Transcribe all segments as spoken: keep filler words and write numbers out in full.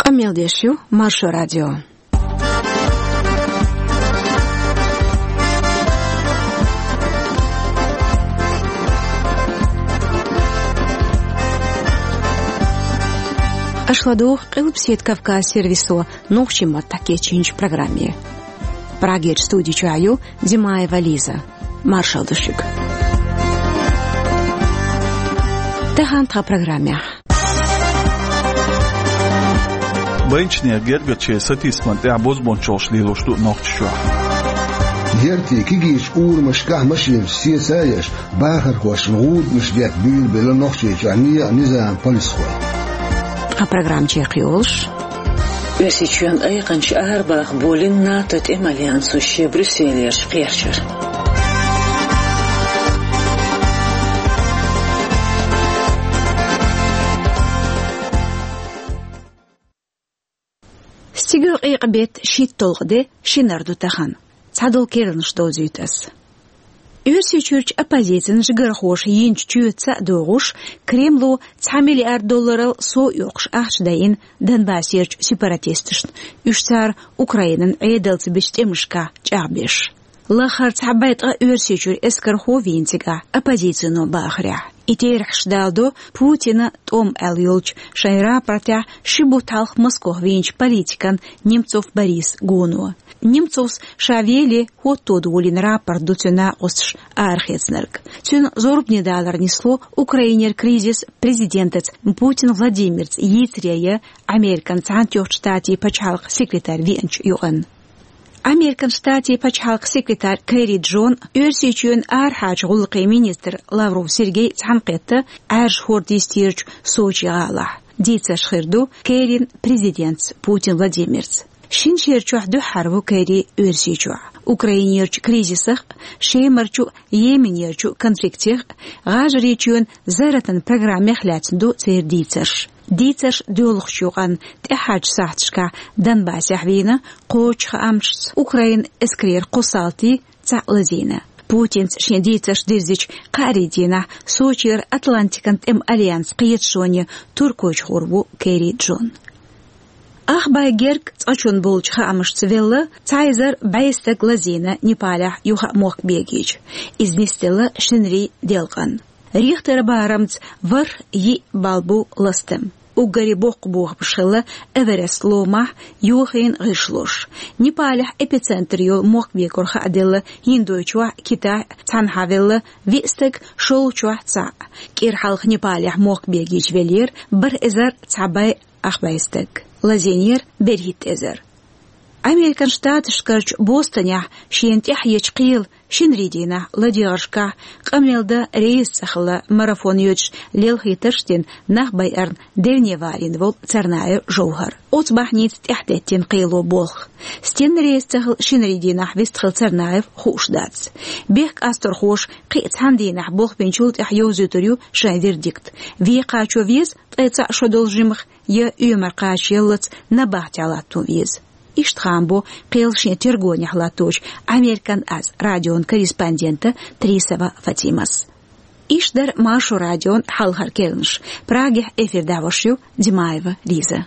Къамел деш ю Маршо радио. Аша ладугӀу Къилбаседа Кавказ сервисо нохчийн маттахь кечйинчу программе. Прагерчу студи чохь ю Димаева Лиза. Маршалла ду шуьга. Тахана тхан программехь. Байначеран гергарчеран сатийсамна тӀехь бозбуунчаллаш лелош ду Нохчийчохь. Яртан кегийчу урамашкахь машинаш сеца а еш, бахархошна гӀуданаш детта буьйлабелла Нохчийчохь некъан низаман полисхой. Тхан программа чекхйолуш. Оьрсийчоьнан айкханча арабаха болийна НАТО тӀеман альянсо шен Брюсселерчу кхерчар. Стигалкъекъа беттан шийтталгӀа де, шинара ду тахана. Цхьадолу керланаш довзуьйту ас. Оьрсийчуьрчу оппозицин жигархоша йинчу чоьтаца а догӀуш, Кремло цхьа миллиард долларал сов оьккхуш ахча дайина Донбассерчу сепаратисташна, уьш цара Украинан Ӏедалца бечу тӀемашкахь чӀагӀбеш. Лахара цхьа бӀе ткъа Оьрсийчуьра эскархо вийна цигахь, оппозицино бахарехь. И терахьаш даладо Путина тӀом аьлла йолчу шайн рапортехь ши бутт хьалха Москох вийначу политикан Немцов Борис гоно. Немцовс ша веле хӀотто долийна рапорт ду цуьнан накъосташа арахецнарг. Цуьнан зорбане далар нисло Украинера кризис президентаца Путин Владимирца йийцаре я Американ Цхьаьнатоьхначу Штатийн пачхьалкхан секретарь веанчу юкъанна. Американ Штатийн пачхьалкхан секретарь Керри Джон, Оьрсийчоьнан арахьарчу гӀуллакхийн министр Лавров Сергей цхьаьнакхетта Ӏаьржа хӀорда йистерчу Сочи гӀалахь. Дийцарш хир ду Керрин президентца Путин Владимирца. Шина шера чохь дуьххьара ву Керри Оьрсийчохь. Украинерчу кризисах, Шемарчу, Йеменерчу конфликтех, ГӀажарийчоьнан зарратан программех лаьцна ду церан дийцарш. Дийцарш доьлхучу юкъанна тӀаьхьарчу сахьташкахь Донбассехь вийна кхочу хаамашца Украинан эскарера кхо салти цхьаъ лазийна. Путинца шен дийцарш дирзича кхаарин дийнахь Сочера Атлантикан тӀеман альянсан кхеташоне Туркойчу гӀур ву Керри Джон. Ах бӀе герга цкъачунна болчу хаамашца велла, цхьа эзар бӀе стаг лазийна Непалехь юха а мохк бегийча. Иза нисделла шинарин делкъанна. Рихтера барамца ворхӀ йиъ балл бу ластам. Уггаре боккха бохамаш хилла Эверест ломахь йохийна гӀишлош. Непалехь эпицентр йолу мохк бегор хааделла ХӀиндойчохь, Китайхь цхьанхьа велла виъ стаг, шолгӀачохь цхьаъ. КӀира хьалха Непалехь мохк бегийча веллера бархӀ эзар цхьа бӀе ах бӀе стаг. Лазийнера берхӀитта эзар. Американ Штаташкарчу Бостонехь шена тӀаьхьечу кхелан шинарин дийнахь ладегӀаршкахь къамел дан реза цӀа хилла марафон йоьдуш лелхийтарш дина нах байарна девне валийна волу Царнаев Жовхар. Оцу бахьаница тӀаьхьатеттина кхело болх. Стенна реза ца хилла шинарин дийнахь вистхилла Царнаев хууш дац. Бехк къасторхоша кхин а цхьана дийнахь болх бинчул тӀаьхьа йовзуьйтур ю шайн вердикт. Вен кхачо веза ткъе цхьаъ шо долу жимах, я оьмар кхачаяллалц набахтехь латто веза. Иштта хаам бо кхелан шен тергонехь латточу Американ аз радион корреспондента Трисова Фатимас. Иштта дара Маршо радион хьалхара керланаш. Прагехь эфир дӀахьош ю Димаева Лиза.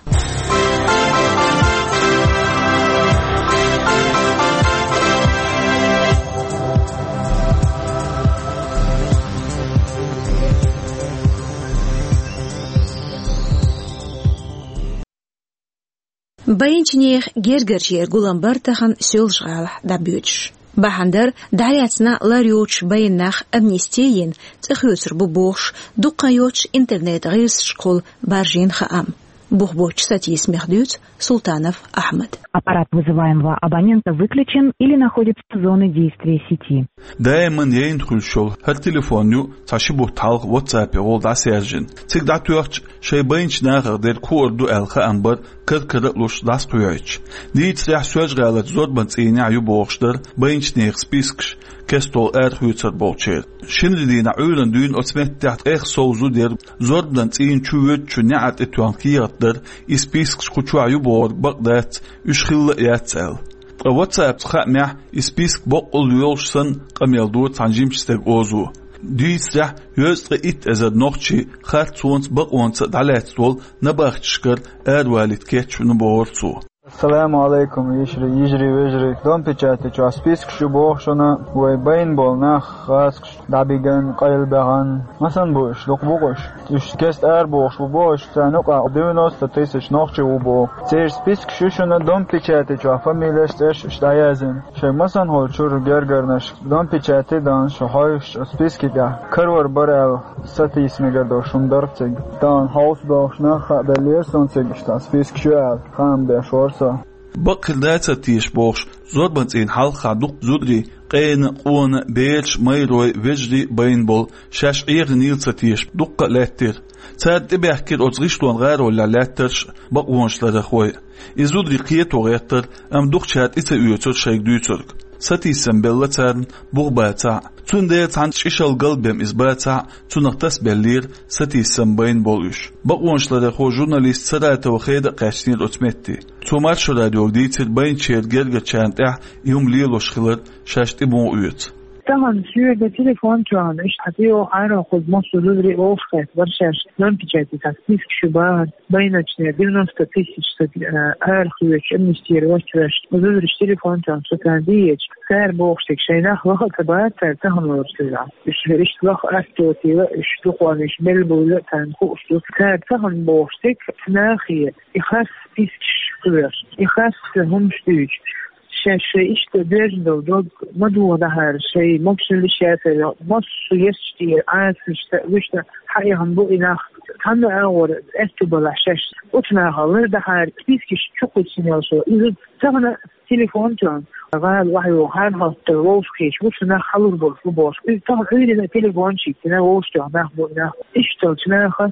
Байначеран гергарчеран гулам бара тахана Соьлжа-ГӀалахь дӀабоьдуш. Бахьана дара, дӀалаьцна лар йоцуш байна нах амнисти йина, цӀа хоьцур бу бохуш, дукха йоцуш интернет-гӀирсашкахула баржийна хаам. Бух боцчу сатийсамех дуьйцу Султанов Ахьмада. Аппарат вызываемого абонента выключен или находится в зоне действия сети. Даиман яйна хуьлуш йолу хӀара телефон ю цхьа ши бутт хьалха WhatsApp-е гӀолла дӀасаьржина. Цига дӀатоьхча, шайн байначу нахах дерг хуур ду аьлла хаам бара кар-кара а луш дӀасакхоьхьуьйтуш. Дийцарехь, Соьлжа-ГӀаларчу зорбанан цӀийнехь ю бохуш дара байначеран спискаш кестта арахоьцур болчеран. Шинарин дийнахь Ӏуьйранна дуьйна оцу меттехь ткъех сов зуда яра, зорбанан цӀийна чу воьдучу неӀар тӀе тоьхна кехат дара, и спискаш кху чохь ю бохург бакъ дац, уьш хилла а яц аьлла. Ткъа WhatsApp-ца хаамехь, и список боккъал йолуш санна, къамел дора цхьана жимачу стеган озо. Дийцарехь, дезткъе итт эзар нохчи харцонца, бакъонца дӀалаьцна долу набахтешкара аравалийта кечвина бохура цо. Ассаламу алейкум, йижарий, йижарий, вежарий. Дом печати чохь спискаш ю боху шуна, вай байна болу нах, гӀазкхаш дӀабиган, къайлабаьхна. Масан бу уьш, дукха бу-кх уьш? Уьш кеста арабохуш бу боху уьш, царна юкъахь девяносто тысяч нохчи ву боху. Церан спискаш ю шуна Дом печати чохь, фамилеш, цӀерш уьш дӀаяздина. Шайн масанхула чуьра гергарнаш Дом печати дан шу хьовсуш списки тӀехь карор бара аьлла, сатийса мегар долуш хӀума дара цига. Тахана хьовса бохуш нах хаа беллера суна цига, иштта спискаш ю аьлла, хаам беш вара со. Бакъ хир дац ца теша бохуш, зорбанан цӀийнан хьалха дукха зударий, къена, къона, бераш, майрой, вежарий байна болу, шаьш Ӏехийнийла ца теша дуккха а лаьттира. Цара тӀебаьхкира оцу гӀишлон гӀаролехь лаьттарш а, бакъонаш ларъярхой а. И зударий кхето гӀеттара, амма дукхачара тӀе ца оьцура шайга дуьйцург. Сатийсам белла царна бух бацахь а. Цундела цхьана чӀишал галбен иза бацахь а, цунах тасабеллера сатийсам байна болу уьш. Бакъонаш ларъярхо журналист Саратова Хеда а кхаьчнера оцу метте. Цо Маршо радиога дийцира байначеран гергарчарна тӀехь и хӀума лелош хилар, шаьш тӀе муха оьцу. Тахана соьга телефон тоьхна, иштта хьан тӀе йогӀу хьарахь, кхуза массо а зударий олуш кхетта бара шаьш, Дом печати цхьа списки ю бахара, байначеран девяносто тысяч стаг, э, арахоьцуш, амнистировать веш. Зударша телефон тоьхна, со царна дийцича, цара бохуш дерг, шайн нах лаха а ца бац цара тахана лоруш хилла. Уьш иштта лаха аттотийла, уьш дукха уьш мел буйла а царна хууш ду. Цара тахана бохуш дерг, нахе и харц спискаш кхоьруш, и харц хӀумаш дуьйцуш. Шаьш шайн иштта доьжна долу дог ма дохадахьара, шайн могушаллаш яцара, массо а есташ тӀера Ӏасанаш ца вуьшта хьаэхна бу и нах. Цхьанна а агӀор аьтту балахь шаьш оцу нахах лардахьара, спискаш чукхуьссина йолуш. Иза тахана телефон тоьхна, гӀала охьайогӀу хьархӀоттар вовшахкхеташ, вуьшта нах хьалур болуш бу бохуш. Иза тахана Ӏуьйранна телефон чу йиттина, вовшахтоьхна нах бу и нах. Иштта долчу наха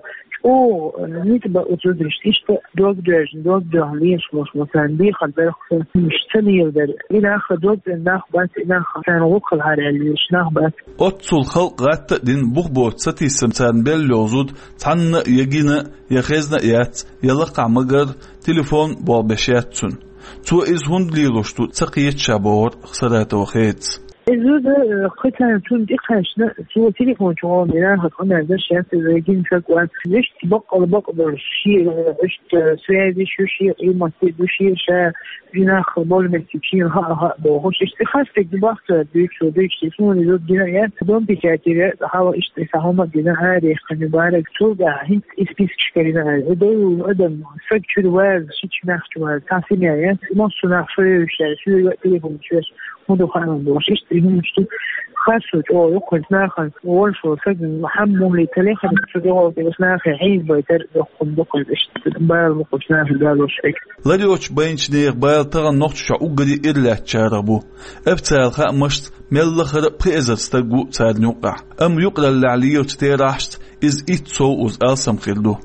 чӀогӀа, э, ницкъ бан оцу зударшна, иштта дог доьжна, дог доьхна лелаш болуш бу, царна бехар дара-кх сан, уьш ца леладара. И нах дог дина нах бац, и нах царна гӀуллакх хилахьара аьлла лелаш нах бац. Оццул халкъ гӀатта а дина, бух боцу сатийсам царна белла йолу зуда цхьанна а я гина, я хезна а яц, я лакхахь ма-гарра, телефон болх беш яц цуьнан. Цо иза хӀунда лелош ду ца кхета ша, бохура Саратова Хедас. И зуда, э, кхин царна цунна тӀекхаьчна, цо телефон чу гӀо ма дина, хӀара къамел дерш яц иза, гина стаг вац. Вешта баккъала бакъ долуш, шен, э, иштта, э, связеш ю, шен къематде ду, шен ша, и нах болу меттиг шена хаа а хаьа бохуш. Иштта хастиг ду бахтар дуьйцу, дуьйцу, суна и зуда гина а яц, Дом печатера хьала иштта и сан хӀума а гина, арехкан ю бараг. Цул тӀаьхьа хӀинца и спискаш карийна аьлла. И долу адам, стаг чуьра ваза, шича нах чу ваза, цхьа семья яц, массо а нах шоьвуьйтуш яьлла, соьга а телефон чу веш. ХӀун ду хаам бохуш, иштта и хӀуманаш ду. Харцо чӀогӀа ю кхуьнца нахана, волуш волу саг хьан мухӀли ца лехарх, цу тӀехула тӀе оцу нахе хьийзабайтар доккхун ду кхуьнца, иштта бала бу кхуьнца нахе далош хьега. Лар йоцчу байначу нехан бала тахана Нохчийчохь уггаре а иралаьцначарах бу. Официалан хаамашца, мел лахара а пхи эзар стаг ву царна юккъехь. Амма юкъараллехь лелачу терахьашца иза итт сов уза алсам хир ду.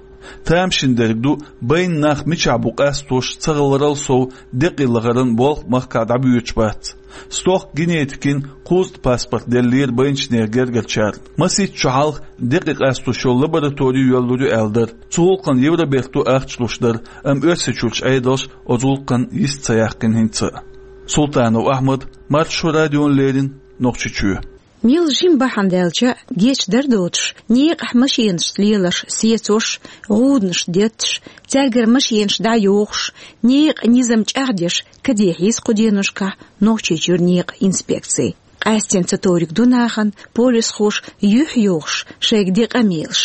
Тамашийна дерг ду, байна нах мичахь бу къастош ца хиларал сов, декъий лахаран болх махкахь дӀабоьдуш бац. Стохка генетикин кхузткъа паспорт деллера байначеран гергарчарна. Масийтта шо хьалха декъий къастош йолу лаборатори йоьллур ю аьлла дара. Цу гӀуллакхна Евробарто ахча луш дара, амма Оьрсийчуьрчу Ӏедалша оцу гӀуллакхан йист ца яьккхина хӀинца а. Султанов Ахьмад, Маршо радиона леррина, Нохчийчоь. Мел жима бахьана даьлча а, гечдар доцуш, некъахь машенашца леларш сецош, гӀуданаш детташ, цаьргара машенаш дӀайохуш, некъан низам чӀагӀдеш, каде хьийза кху деношкахь Нохчийчуьра некъан инспекци. Къаьстина ца товриг ду нахана полисхоша юьхь йохуш, шайга де къамелаш.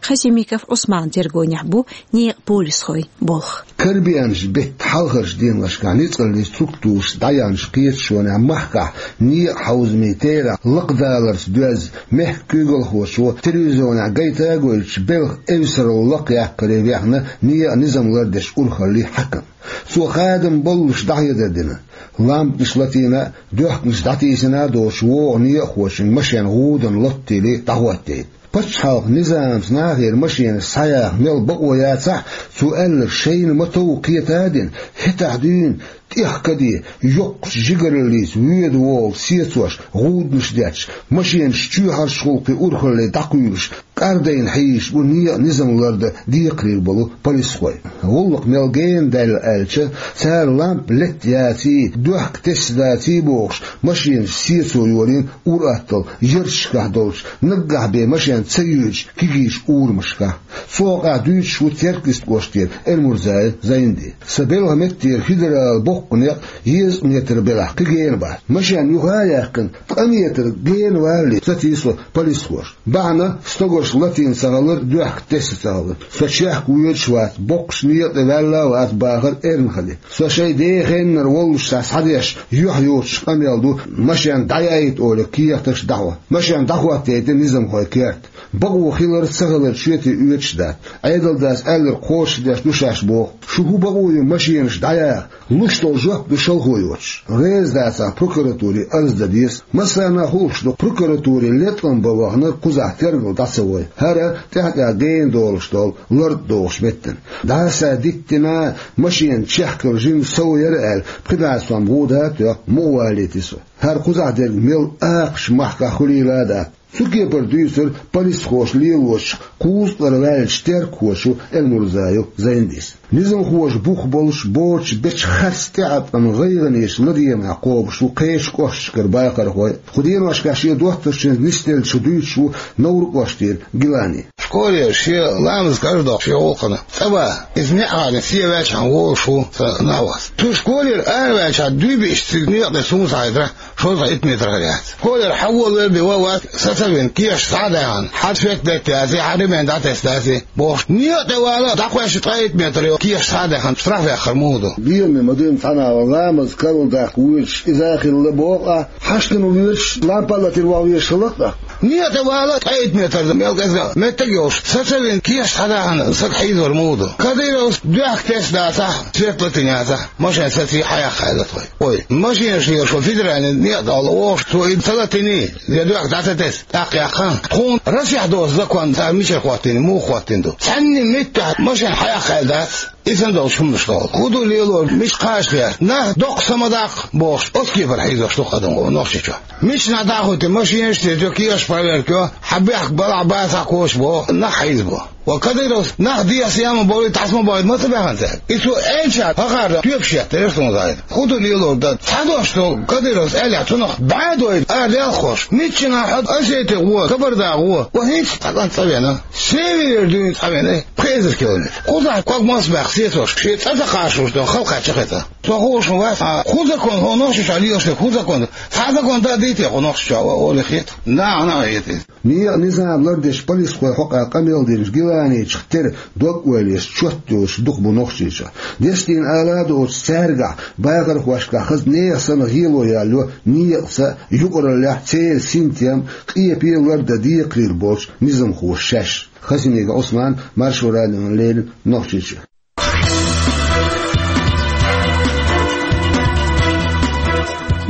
Хасимиков Ӏусманан тергонехь бу некъан полисхойн болх. Карабенаш беттан хьалхарчу деношкахь ницкъаллин структурашца дӀаяьхьначу кхеташонехь махкахь некъан хьовзамийн терахь лакхадаларца доьзна, мехкан куьйгалхочо телевизионехь гайта а гойтуш, белхан эвсаралла лакхъяккхаре вехна некъан низам лардечу урхаллин хьаькам. Цо хадам баллуш дӀахьедар дина. Лампанаш латийна а, доьхканаш дӀатийсина а доцуш, вогӀу некъахочун машен гӀуданан лоттийле дӀахӀоттийна. Пачхьалкхан низамца нахера машенаш схьаяха мел бакъо яцахь а, цо аьлларг шайна ма-тов кхета а дина, хӀетахь дуьйна тӀех каде, йоккхачу жигараллица воьду-вогӀу сецош, гӀуданаш детташ, машенаш чоьхьарчу гӀуллакхийн урхалле дӀакхуьйлуш, Ӏардайна хьийзаш бу некъа низам лардан декхарийла болу полисхой. ГӀуллакх мел гена даьлла аьлча, цара лампа летта яций, доьхка тесна даций бохуш, машенаш сецо йолийна ур-атталла ярташкахь долчу, наггахь бен машен ца юьйцучу кегийчу урамашкахь. Цу хьокъехь дуьйцуш ву Теркйист кӀоштара Эльмурзаев Зайнди. Сан белхан меттера федералан боккха некъ езткъа метр белахь кхин гена бац. Машен юха а яьккхина, ткъа метр гена валале, саций со полисхоша. Бахьана, стогаш латийна ца хилар, доьхка тесна ца хилар. Со чехка воьдуш а вац, боккхачу некъа тӀе ваьлла а вац, бахара эрна хили. Со шайн ден хеннара воллушехь схьадеш, юьхь йоцуш къамел ду, машен дӀаяйта олий кехаташ дӀахьо. Машен дӀахӀоттайайти низамхой керта. Бакъо хилар а, ца хилар а шоьтий оьцуш дац. Ӏедалдас аьлларг кхочушдеш ду шаьш боху. Шу хӀун бакъо ю машенаш дӀаяха? Луш долу жоп ду шалхо йоцуш. Реза дацахь, прокуратуре арз дан деза. Массарна а хууш ду, прокуратуре леткъам бан ваханарг кхузахь тергал дӀа ца вой. ХӀара тӀаьхьа-тӀаьхьа гена долуш долу лартӀа дохуш меттана. ДӀаса диттина, машенан чехкалла жимма сов яра аьлла, пхи бӀе сом гӀуда а тоьхна, мукъа валийти со. ХӀара кхузахь дерг мел акхачу махкахь хуьлийла а дац. Цу кепара дуьйцура полисхоша лелочух кхузткъара ваьллачу теркахоша Эльмурзаев Зайндис. Низамхоша бух болуш боцуш бечу харц тӀеӀаткъаман гӀайгӀанийн ладегӀамехь кхобуш бу кхечу кӀошташкара бахархой. Кху деношкахь шен доттагӀчуьнца нисделлачух дуьйцуш ву Невран кӀоштара Гилани. Школера шен ламаз карладоккхуш шен гӀуллакхана цӀа ван, иза неӀарна сен ваьлчахьана волуш ву сан нохчо. Цу школера араваьлчахьана дуй биъча цига некъа тӀе суна схьахетарехь, шовзткъе итт метр хир яц. Школера хьан волавелла бен ван вац, сацавина, кешаш схьа а даьхна, хьан фет летта яций, хьан ремень дӀатесна даций бохуш, некъа тӀе вала, дӀакхоьссича ткъе итт метр йолу кешаш схьа а даьхна, штраф яккхар муха ду? Лераме ма дуьйна цхьана а ламаз карладаккха воьдуш иза а хилла боху ахь, хьаштана воьдуш, лампа а латийна ваха везаш хилла-кх ахь. Некъа тӀе вала, ткъе итт метр мел кӀезга меттиг а йолуш, сацавина, кешаш схьа а даьхна, саг хьийзавар муха ду? Кадыровс доьхка тесна дацахь, свет латийна яцахь, машен саций, хьаяккха аьлла тхой. Ой, машенаш лелош ву федеральный некъа тӀехула вогӀуш, цо и ца латийний, я доьхка дӀа ца тесна, тӀаккха яьккхина. Тхуна Россехь доцу закон цара мичара хӀоттийна, муха хӀоттийна ду? Цхьанна а меттехь машен хьаяккха аьлла дац, и санна долуш хӀуманаш тӀехула. ХӀун ду лелор, мича кхача лаьцна? Нах доккха са ма даккха бохуш, оцу кепара хьийзош ду-кх адам Нохчийчохь. Миччанхьа дӀахӀоттий машенаш а, церан кешаш проверка йо, хьан бехк балахь бацахь кхочуш боху, нах хьийзабо. Ва Кадыровс нах дехьа ма бовлий, тхьаьс ма бовлий, ма ца баьхна цаьрга. И цо аьлча, хӀокхара тоьпаш еттар суна зайна. ХӀун ду лелор дан? Цхьа дош долу Кадыровс аьллехь, цунах бӀе дойла ара лелхош. Миччанхьа хьо Осети гӀо, Кабарда гӀо, ва хӀинца цхьа кӀант цӀа вена. Северера дуьйна цхьа вена, пхи эзар километр. Кхузахь ког мос баьхна сецош, шен цӀа ца кхачош долу халкъ чекхетта. Со хууш ма вац, а хӀун закон, хӀун Нохчийчохь лелаш дерг, хӀун закон? Цхьа закон дан дийте хӀун Нохчийчохь, олий хета? Наха а хета иза. Некъан низам лардеш полисхойн хьокъехь къамел динчу Гиланичух тера дог-ойла еш чот йолуш дукха бу Нохчийчохь. Дестийна ала а доцуш, цаьргахь, бахархошкахь хаза нехан санна гӀело яьлла йо некъаца, юкъараллехь, церан синтем, къепе лардан декхарийла болчу низамхоша шаьш. Хасимиков Ӏусман, Маршо радиона леррина, Нохчийчуьра.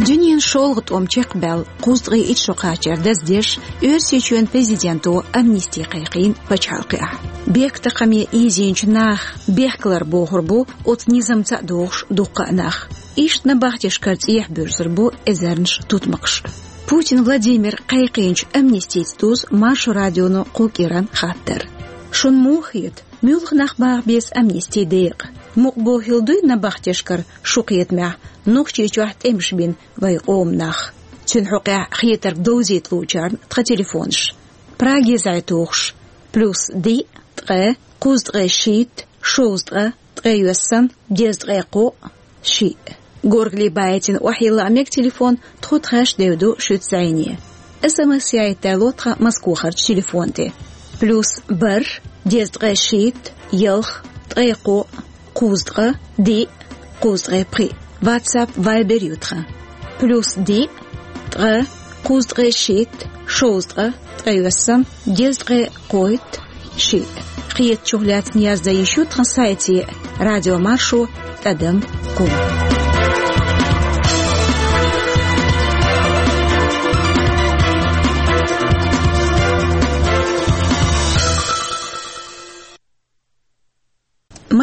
Дуьненан шолгӀа тӀом чекхбаьлла кхузткъе итт шо кхачар даздеш, Оьрсийчоьнан президенто амнисти кхайкхийна пачхьалкхехь. Бехктакхаме ийзийначу наха бехкалар бохур бу оцу низамца а догӀуш дуккха а нах. Иштта набахтешкара цӀехьа буьрсур бу эзарнаш тутмакхаш. Путин Владимира кхайкхийначу амнистица дузу Маршо радионо кху кӀиран хаттар. Шуна муха хета, муьлха нах баха беза амнистин декъа? Мукъа бохийла дуй набахтешкара шу кхетамехь Нохчийчохь тӀемаш бина вайн къоман нах? Цуьнан хьокъехь хетарг довзийта луучарна тхан телефонаш. Праге зӀе-тухуш, плюс диъ, ткъе, кхузткъе шийтта, шовзткъе, ткъе йоьссан, дезткъе кхоъ, шиъ. Горгали байтина охьайилла а мега телефон, тхо тхаьш девду шуьца зӀене. СМС яийта ло тхан Москвахарчу телефон тӀе. Плюс бархӀ, дезткъе шийтта, ялх, ткъе кхоъ, кхузткъе, диъ, кхузткъе пхиъ. WhatsApp, Viber ю тхан. Плюс диъ, ткъе, кхузткъе шийтта, шовзткъе, ткъе йоьссан, дезткъе кхойтта, шиъ. Кхетачух лаьцна яздан йиш ю тхан сайте радиомаршо тӀадам ком.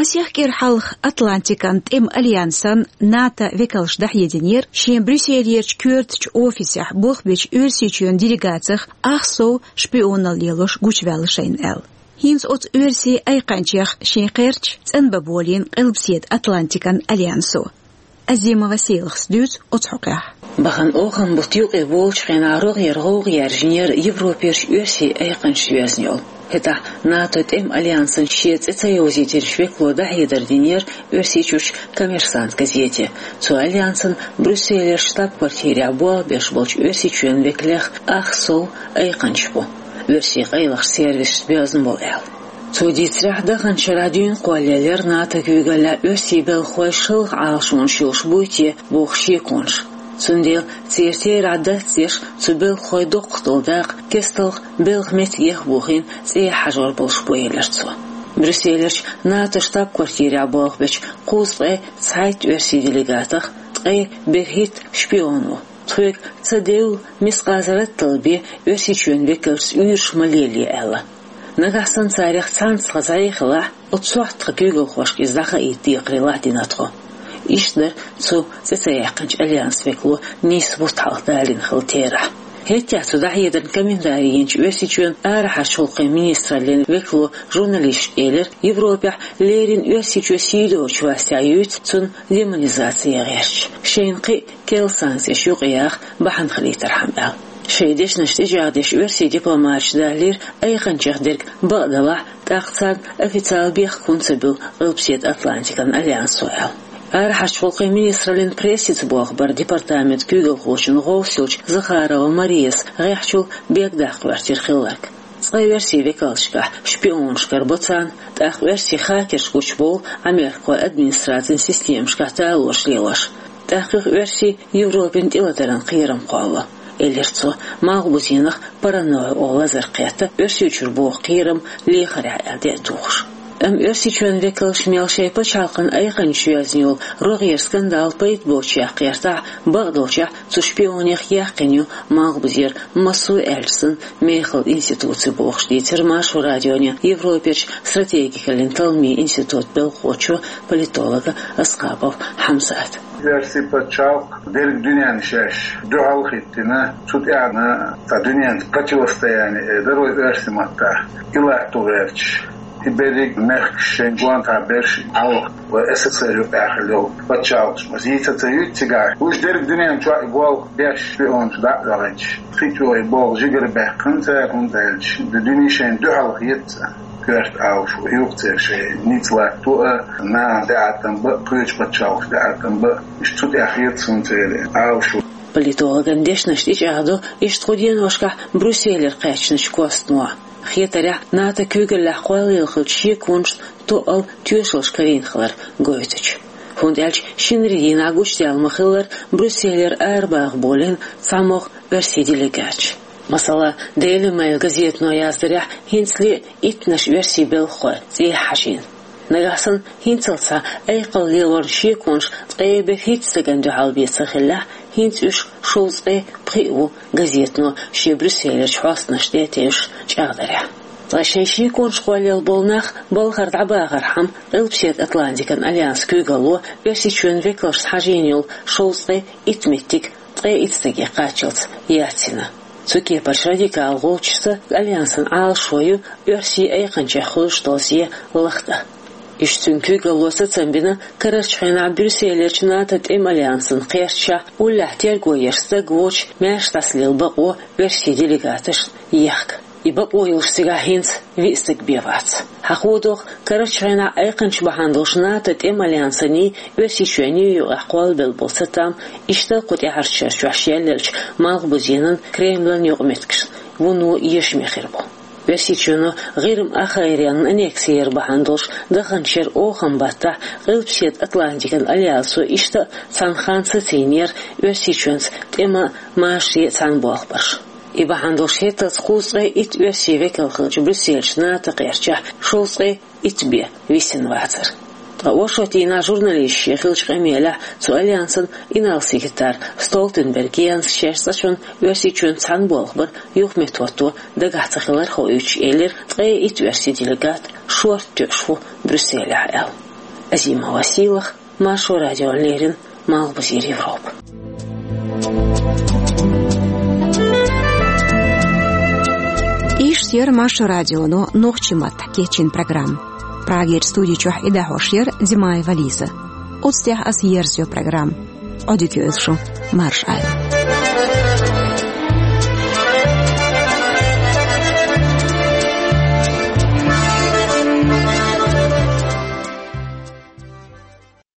Масех кӀира хьалха Атлантикан тӀеман альянсан, НАТО векалша дӀахьединера шен Брюсселерчу коьртачу офисехь болх бечу Оьрсийчоьнан делегацех ах сов шпионал лелош гучуваьлла шайна аьлла. ХӀинца оцу оьрсийн айкханчех шен кхерчаш цӀанбан болийна Къилбаседа Атлантикан альянсо. Азимова Селахас дуьйцу оцу хьокъехь. Бахана охан-бутт юкъе волчу хенахь рогӀера гӀовгӀа яьржинера Европерчу оьрсийн айкханчаш йоьзна йолу. ХӀетахь НАТО тӀеман альянсан шен цӀе ца йовзийтинчу векало дӀахьедар динера Оьрсийчуьрчу «Коммерсант» газете. Цу альянсан Брюсселерчу штаб-квартирехь болх беш болчу Оьрсийчоьнан векалех ах сов айкханчаш бу, оьрсийн къайлахчу сервисашца боьзна болу аьлла. Цо дийцарехь, даханчу шарахь дуьйна кхоллаеллера НАТО куьйгаллехь оьрсийн белхалой шалха Ӏалашонаш йолуш буй те боху шеконаш. Цундела церан терахь дац деш, цу белхалойн доккхах долу дакъа кесталгӀа белхан меттигех а бохийна, цӀехьа хьажор болуш бу, элира цо. Брюсселерчу НАТО штаб-квартирехь болх бечу кхузткъе цхьайтта оьрсийн делегатах ткъе берхӀитта шпион ву. Тхоьга ца девлла, мискъазарратал бен Оьрсийчоьнан векалшца уьйраш ма лелае аьлла. Нагахь санна царех цхьаьнца тхан зӀе хилахь, оцу сохьта тхан куьйгалхошка иза дӀахаийта декхарийлахь дина тхо. Иштта дара цу цӀе ца яьккхинчу альянсан векало нийсса бутт хьалха далийна хилла терахь. ХӀетахь цу дӀахьедарна комментари йинчу Оьрсийчоьнан арахьарчу гӀуллакхийн министраллин векало журналисташка элира, Европехь леррина Оьрсийчоь сий доцучу вастехь юьйцу цунна демонизаци ян гӀерташ, шайна кхин а керла санкцеш юкъаяха бахьана хилийтархьама аьлла. Шайн дешнаш тӀечӀагӀдеш оьрсийн дипломаташа далийра, айкханчех дерг бакъ делахь, тӀаккха царна официалан бехк хӀунда ца буьллу Къилбаседа Атлантикан альянсо аьлла. Арахьарчу гӀуллакхийн министраллин прессица болх баран департаментан куьйгалхочун гӀовс йолчу Захарова Марияс гӀеххьачул бегдаккха гӀоьртира хилларг. Цкъа оьрсийн векалшкахь шпионаш карабо царна, тӀаккха оьрсийн хакерш гучубовлу Ӏамеркахойн администрацин системашкахь талораш лелош. ТӀаккха юха оьрсийн Европина тӀелатаран кхерам кхоллало, элира цо, малхбузенах паранойя олу лазар кхетта, Оьрсийчуьра боху кхерам лехарехь аьлла де а тухуш. Амма Оьрсийчоьнан векалш мел шайн пачхьалкхан айкханчаш йоьзна йолу рогӀера скандал пайда боцучех кхетахь, бакъдолчехь цу шпионех яьккхина ю малхбузера массо а аьлча санна мехала институци бохуш, дийцира Маршо радионе Европерчу стратегикаллин талламийн институтан белхахочо, политолого Асхабов Хьамзата. Оьрсийн пачхьалкх дерриг дуьненна шаьш дуьхьал хӀиттина, цу тӀехь а цхьа дуьненца противостояние эр дара вай оьрсийн маттахь, и латто гӀерташ. И берриг мехкаш шайн гонахберш хьалха вай СССР юкъахь хилла йолу пачхьалкхаш, аса йийца ца юьйцу цигахь. Уьш дерриг дуьнен чохь и болх беш шпионаш дӀа а ваьхьинчу, кхин чӀогӀа и болх жигара баьккхина цара, хӀунда аьлча дуьне шайна дуьхьал хета цара. Коьрта Ӏалашо ю-кх церан шайн ницкъ латто а, нахана тӀеӀаткъам бан а, кхечу пачхьалкхашна тӀеӀаткъам бан а, иштта цу тӀехь хета суна церан Ӏалашо. Политологан дешнаш тӀечӀагӀдо иштта кху деношкахь Брюсселера кхаьчначу костано. Хетарехь, НАТО куьйгаллехь кхоллаелла хиллачу шеконашна тоъал тоьшаллаш карийна хилар гойтучу. ХӀунда аьлча шинарин дийнахь гучудаьлла ма-хиллара Брюсселера арабаха болийна цхьамогӀа оьрсийн делегаташ. Масала, Daily Mail газетано яздарехь, хӀинцале а иттанаш оьрсийн белхахой цӀехьа хьажийна. Нагахь санна хӀинццалц схьа айкхалла лелоран шеконаш ткъе берхӀитта стагана дуьхьал бен ца хиллехь, хӀинца уьш шовзткъе пхиъ ву, газетано шен Брюсселерчу хьостанашна тӀе тевжаш чӀагӀдарехь. Ткъа шайн шеконаш кхоллаелла болу нах балхара дӀабахархьама, Къилбаседа Атлантикан альянсан куьйгалло Оьрсийчоьнан векалшца хьажийна йолу шовзткъе итт меттиг ткъе итт стаге кхаччалц яц йина. Цу кепара радикал гӀулчашца альянсан Ӏалашо ю оьрсийн айкханчех хуьлуш долу зе лахдан. Иштта цуьнан куьйгалло сацам бина карарчу хенахь Брюсселерчу НАТО тӀеман альянсан кхерчашкахь уллехь терго еш стаг воцуш маьрша дӀасалела бакъо оьрсийн делегаташна ехка. И бакъо йолуш цигахь хӀинца виъ стаг бен вац. Хьахо догӀу, карарчу хенахь айкханчаш бахьана долуш НАТО тӀеман альянсаний, Оьрсийчоьнний юкъахь кхоллабелла болу цатам иштта кху тӀаьхьарчу шарчохь шелъеллачу малхбузенан, Кремлан юкъаметтигашна вуно эшаме хир бу. Оьрсийчоьно ГӀирма ахгӀайренна аннекси яр бахьана долуш даханчу шеран охан баттахь Къилбаседа Атлантикан альянсо иштта а цхьана ханна сацийнера Оьрсийчоьнца тӀеман а, машаре а цхьана болх барш. И бахьана долуш хӀетталц кхузткъе итт оьрсийн векал хиллачу Брюсселерчу НАТО кхерчахь шовзткъе итт бен висина вацара. Ткъа оршотдийнахь журналисташца хиллачу къамелехь цу альянсан инарла секретарь Столтенберг Йенс шаьш цкъачунна Оьрсийчоьнца цхьана болх бар юхаметтахӀотто дагахь ца хилар хоуьйтуш элира, ткъе итт оьрсийн делегат шорта тоьуш ву Брюсселехь аьлла. Азимова Сийлаха, Маршо радиона леррина, Малхбузера Европа. Иштта яра Маршо радионо нохчийн маттахь кечйина программа. Прагера студи чохь и дӀахьош яра Димаева Лиза. Оцу тӀехь аса ерзайо программа. Ӏодика йойла шу, марша Ӏойла.